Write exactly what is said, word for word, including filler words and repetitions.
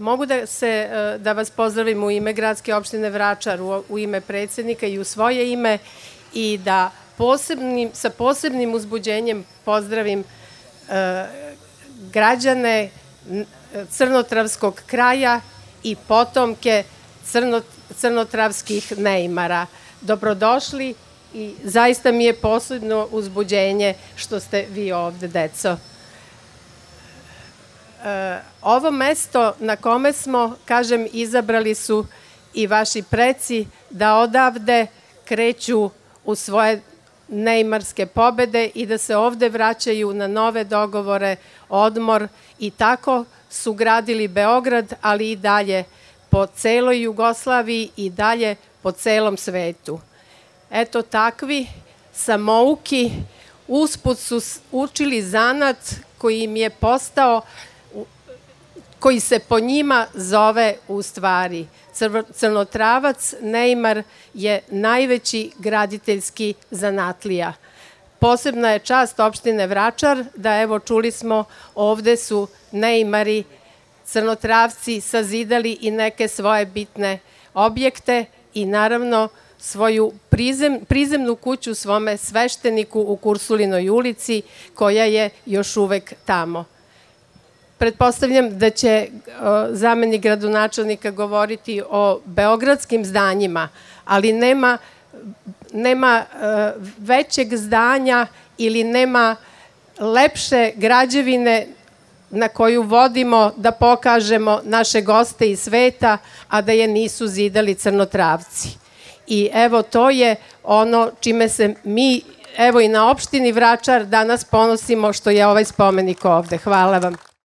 Mogu da, se, da vas pozdravim u ime Gradske opštine Vračar, u, u ime predsednika i u svoje ime i da posebnim, sa posebnim uzbuđenjem pozdravim e, građane Crnotravskog kraja i potomke crno, crnotravskih neimara. Dobrodošli i zaista mi je posebno uzbuđenje što ste vi ovde, deco. E, ovo mesto na kome smo, kažem, izabrali su i vaši preci da odavde kreću u svoje neimarske pobede i da se ovde vraćaju na nove dogovore, odmor i tako su gradili Beograd, ali i dalje po celoj Jugoslaviji i dalje po celom svetu. Eto takvi samouki usput su učili zanat koji im je postao, koji se po njima zove u stvari Crnotravac neimar je najveći graditeljski zanatlija. Posebna je čast opštine Vračar da, evo, čuli smo, ovde su neimari Crnotravci sazidali i neke svoje bitne objekte i naravno svoju prizem, prizemnu kuću svome svešteniku u Kursulinoj ulici koja je još uvek tamo. Pretpostavljam da će zamenik gradonačelnika govoriti o beogradskim zdanjima, ali nema, nema većeg zdanja ili nema lepše građevine na koju vodimo da pokažemo naše goste iz sveta, a da je nisu zidali Crnotravci. I evo, to je ono čime se mi, evo i na opštini Vračar, danas ponosimo što je ovaj spomenik ovde. Hvala vam.